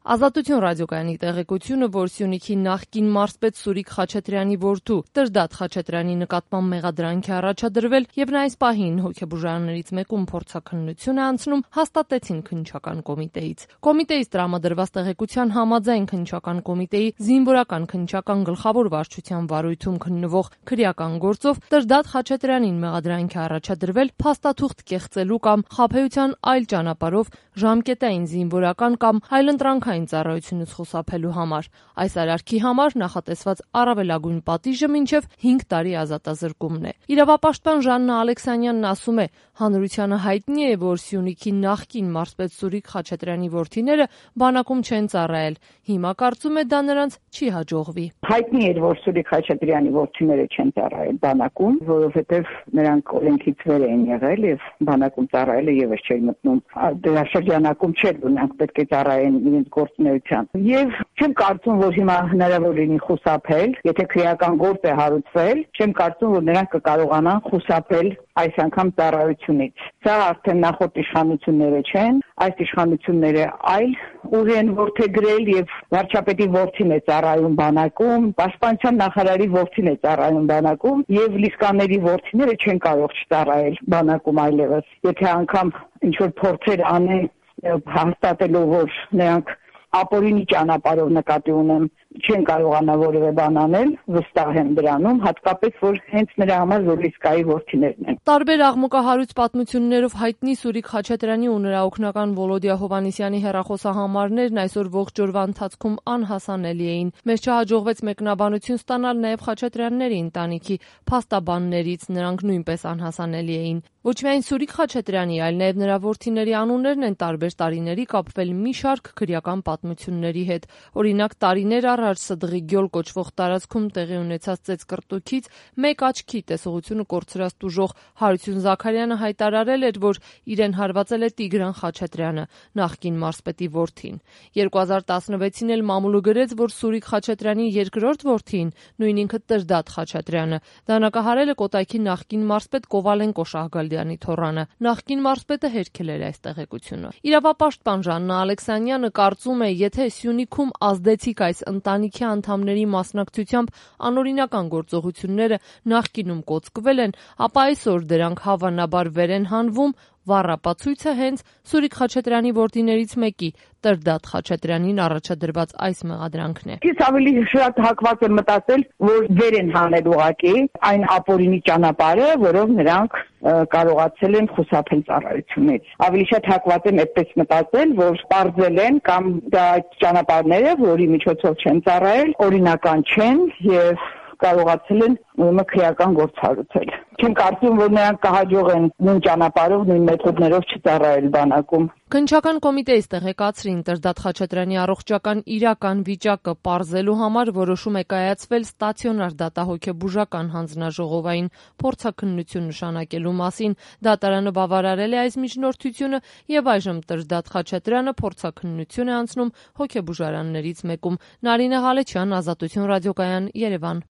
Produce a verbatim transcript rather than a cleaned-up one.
Ազատություն ռադիոկայանի տեղեկությունը, որ Սյունիքի նախկին մարզպետ Սուրիկ Խաչատրյանի որդու Տրդատ Խաչատրյանի նկատմամբ մեղադրանք է առաջադրվել եւ նա այս պահին հոգեբուժարաններից մեկում փորձաքննություն է անցնում, հաստատեցին քննչական կոմիտեից։ Կոմիտեից տրամադրված տեղեկության համաձայն քննչական կոմիտեի զինվորական քննչական գլխավոր վարչության վարույթում քննվող քրեական գործով Տրդատ Խաչատրյանին մեղադրանք է առաջադրվել փաստաթուղթ կեղծելու կամ խաբեության այլ ճանապարհով ժամկետային զինվորական կամ այլընտրանքային ծառայությունից խուսափելու համար։ Այս արարքի համար նախատեսված առավելագույն պատիժը մինչև հինգ տարի ազատազրկումն է։ Իրավապաշտպան Ժաննա Ալեքսանյանն ասում է, հանրությանը հայտնի է, որ Սյունիքի նախկին մարզպետ Սուրիկ Խաչատրյանի որդիները բանակում չեն ծառայել։ Հիմա կարծում է դա նրանց չի հաջողվի։ Հայտնի էր, որ Սուրիկ Խաչատրյանի որդիները չեն ծառայել բանակում, որովհետև նրանք օրենքից վեր են եղել եւ բանակում ծառայելը եւս չէր մտնում դրա շրջանակում չէր, որ նրանք պետք է ծառայեն իրենց գործունեությամբ։ Եվ չեմ կարծում, որ հիմա հնարավոր լինի խուսափել, եթե քրեական գործ է հարուցվել, չեմ կարծում, որ նրանք կկարողանան խուսափել այս անգամ ծառայությունից։ Սա արդեն նախորդ իշխանությունները չեն, այս իշխանությունները այլ ուղի են որդեգրել եւ վարչապետի որդին է ծառայում բանակում, պաշտպանության նախարարի որդին է ծառայում բանակում եւ լիսկաների որդիները չեն կարող չծառայել բանակում այլևս։ Եթե անգամ ինչ որ փորձեր անեն հաստատելով, որ նրանք ապօրինի ճանապարհով նկատի ունեմ, չեն կարողանա որևէ բան անել, վստահ եմ դրանում, հատկապես որ հենց նրա համար որ իսկայի որդիներն են։ Տարբեր աղմուկահարույց պատմություններով հայտնի Սուրիկ Խաչատրյանի ու նրա օգնական Վոլոդիա Հովհաննիսյանի հեռախոսահամարներն այսօր ողջ օրվա ընթացքում անհասանելի էին։ Մեզ չհաջողվեց մեկնաբանություն ստանալ նաև Խաչատրյանների ընտանիքի փաստաբաններից, նրանք նույնպես անհասանելի էին։ Ոչ միայն Սուրիկ Խաչատրյանի, այլ նաև նրա որդիների անուններն են տարբեր տարիների կապվել մի շարք քրեական պատմությունների հետ։ Օրինակ, տարիներ առաջ Սդղի գյոլ կոչվող տարածքում տեղի ունեցած ծեծկռտուքից մեկ աչքի տեսողությունը կորցրած տուժող Հարություն Զաքարյանը հայտարարել էր, որ իրեն հարվածել է Տիգրան Խաչատրյանը, նախկին մարզպետի որդին։ երկու հազար տասնվեցին էլ մամուլը գրեց, որ Սուրիկ Խաչատրյանի երկրորդ որդին, նույն ինքը Տրդատ Խաչատրյանը, դանակահարել է Կոտայքի նախկին մարզպետ Կովալենկո Շահգալդյանի թոռանը։ Նախկին մարզպետը հերքել էր այս տեղեկությունը։ Իրավապաշտպան Ժաննա Ալեքսանյանը կարծում է, եթե Սյունիքում ազդեցիկ այս ընտանիքի անդամների մասնակցությամբ անօրինական գործողությունները նախկինում կոծկվել են, ապա այսօր դրանք հավանաբար վեր են հանվում, վառապացույցը հենց Սուրիկ Խաչատրյանի որդիներից մեկի Տրդատ Խաչատրյանին առաջադրված այս մեղադրանքն է։ Ես ավելի շատ հակված եմ մտածել, որ վեր են հանել ուղղակի այն ապօրինի ճանապարհը, որով նրանք կարողացել են խուսափել ծառայությունից։ Ավելի շատ հակված եմ այդպես մտածել, որ պարզել են կամ դա այդ ճանապարհները, որի միջոցով չեն ծառայել, օրինական չեն եւ կարողացել են ուրեմն քրեական գործ հարուցել։ Չեմ կարծում, որ նրանք կհաջողեն նույն ճանապարհով, նույն մեթոդներով չծառայել բանակում։ Քննչական կոմիտեից տեղեկացրին Տրդատ Խաչատրյանի առողջական իրական վիճակը պարզելու համար որոշում է կայացվել ստացիոնար դատահոգեբուժական հանձնաժողովային փորձաքննություն նշանակելու մասին։ Դատարանը բավարարել է այս միջնորդությունը եւ այժմ Տրդատ Խաչատրյանը փորձաքննություն է անցնում հոգեբուժարաններից մեկում։ Նարինե Ղալեչյան, Ազատություն ռադիոկայան, Երևան։